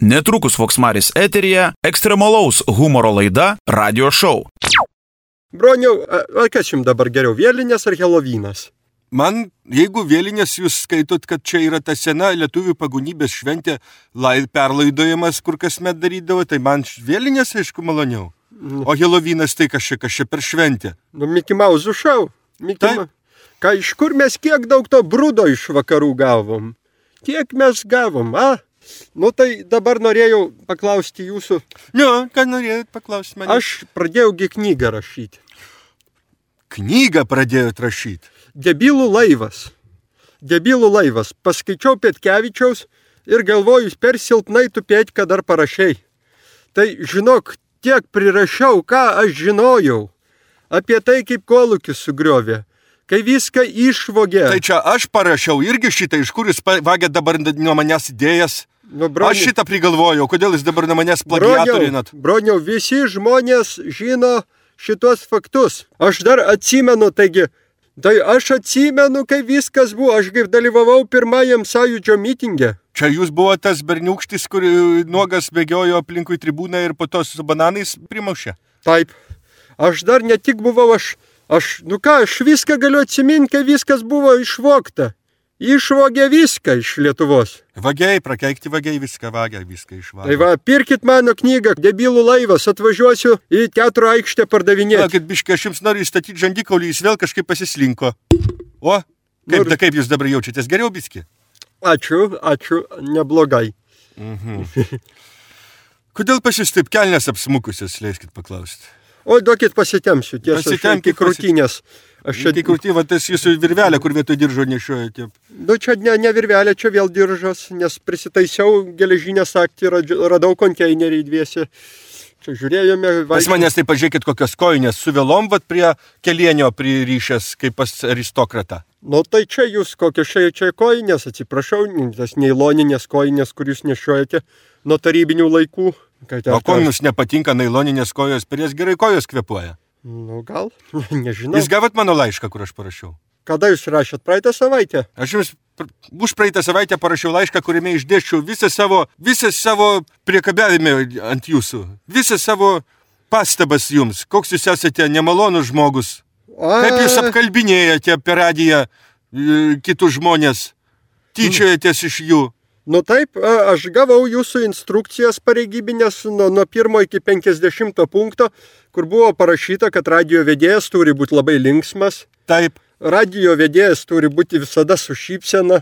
Netrukus Voksmaris eteryje ekstremalaus humoro laida Radio Show. Broniau, kas jums dabar geriau, vėlinės ar Helovynas? Man, jeigu vėlinės jūs skaitot, kad čia yra ta sena lietuvių pagonybės šventė, perlaidojimas, kur kasmet darydavo, tai man vėlinės, aišku, maloniau. O Helovynas tai kas čia per šventę? Mickey Mouse šou. Iš kur mes kiek daug to brudo iš vakarų gavom? Kiek mes gavom, tai dabar norėjau paklausti jūsų. Ką norėjot paklausti mane? Aš pradėjaugi knygą rašyti. Knygą pradėjot rašyti? Debilų laivas. Paskaičiau Petkevičiaus ir galvoju, per silpnai tu Petką dar parašei. Tai žinok, tiek prirašiau, ką aš žinojau. Apie tai, kaip kolūkis sugriovė. Kai viską išvogė. Tai čia aš parašiau irgi šitą, iš kur jūs vagėt dabar nuo manęs idėjas. Aš šitą prigalvojau, kodėl jūs dabar nuo manęs plagiatorinat? Broniau, visi žmonės žino šitos faktus. Aš dar atsimenu, aš atsimenu, kai viskas buvo. Aš kaip dalyvavau pirmajam Sąjūdžio mitinge. Čia jūs buvo tas berniūkštis, kur nuogas bėgiojo aplinkui tribūną ir po to su bananais primušė? Taip. Aš dar ne tik buvau, aš viską galiu atsiminti, kai viskas buvo išvogta. Išvogė viską iš Lietuvos. Vagiai, prakeikti vagiai, viską išvagė. Tai pirkit mano knygą, Debilų laivas, atvažiuosiu į teatro aikštę pardavinėti. Kad biškai, aš jums noriu įstatyti žandikaulį, jis vėl kažkaip pasislinko. O, kaip jūs dabar jaučiatės, geriau biski? Ačiū, neblogai. Kodėl pas jūs taip kelnes apsmukusios, leiskit paklausti? O, duokit pasitemsiu, tiesa, iki krūtinės. Iki krūtinės, tas jūsų virvelė, kur vietoj diržo nešiojate. Čia ne virvelė, čia vėl diržas, nes prisitaisiau geležinę sagtį, radau konteinerį dviese. Čia žiūrėjome. Pas manęs tai pažiūrėkit, kokios kojinės su vėlom, prie kelienio pririšęs, kaip pas aristokratą. Tai čia jūs kokios čia kojinės, atsiprašau, tas nailoninės kojinės, kur jūs nešiojate nuo tarybinių laikų. O ko jums nepatinka nailoninės kojos, per jas gerai kojos kvėpuoja? Gal, nežinau. Jūs gavot mano laišką, kur aš parašiau? Kada jūs rašėt? Praeitą savaitę? Aš jums už praeitą savaitę parašiau laišką, kuriame išdėsčiau visą savo priekabiavimą ant jūsų. Visą savo pastabas jums. Koks jūs esate nemalonus žmogus. Kaip jūs apkalbinėjate per radiją kitus žmonės. Tyčiojatės iš jų. Taip, aš gavau jūsų instrukcijas pareigybinės nuo 1 iki 50 punkto, kur buvo parašyta, kad radijo vedėjas turi būti labai linksmas. Taip. Radijo vedėjas turi būti visada su šypsena.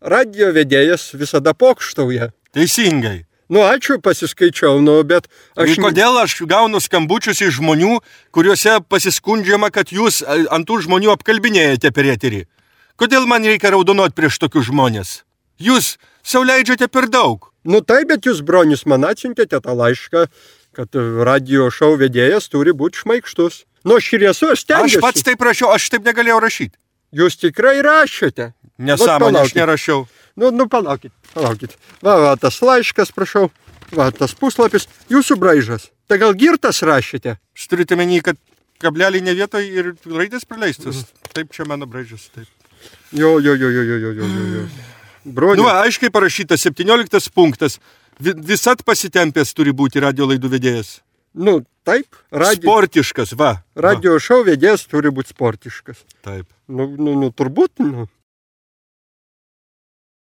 Radijo vedėjas visada pokštauja. Teisingai. Ačiū, pasiskaičiau, bet aš... Kodėl aš gaunu skambučius iš žmonių, kuriuose pasiskundžiama, kad jūs ant tų žmonių apkalbinėjate per eterį? Kodėl man reikia raudonuoti prieš tokius žmonės? Jūs sau leidžiate per daug. Taip, bet jūs, bronius, man atsiuntėte tą laišką, kad radio šou vedėjas turi būti šmaikštus. Aš stengiuosi. Aš pats taip rašiau, aš taip negalėjau rašyti. Jūs tikrai rašėte? Nesąmonė, aš nerašiau. Palaukit. Va, tas laiškas, prašau. Va, tas puslapis. Jūsų braižas. Tai gal girtas rašėte? Jūs turite menį, kad kablelį ne vietoj ir raidės praleistas. Taip, čia mano braižas. Taip. Jo. Broniu. Aiškiai parašyta, 17 punktas. Visat pasitempęs turi būti radio laidų vedėjas. Taip. Sportiškas, va. Radio šou vedėjas turi būti sportiškas. Taip. Turbūt,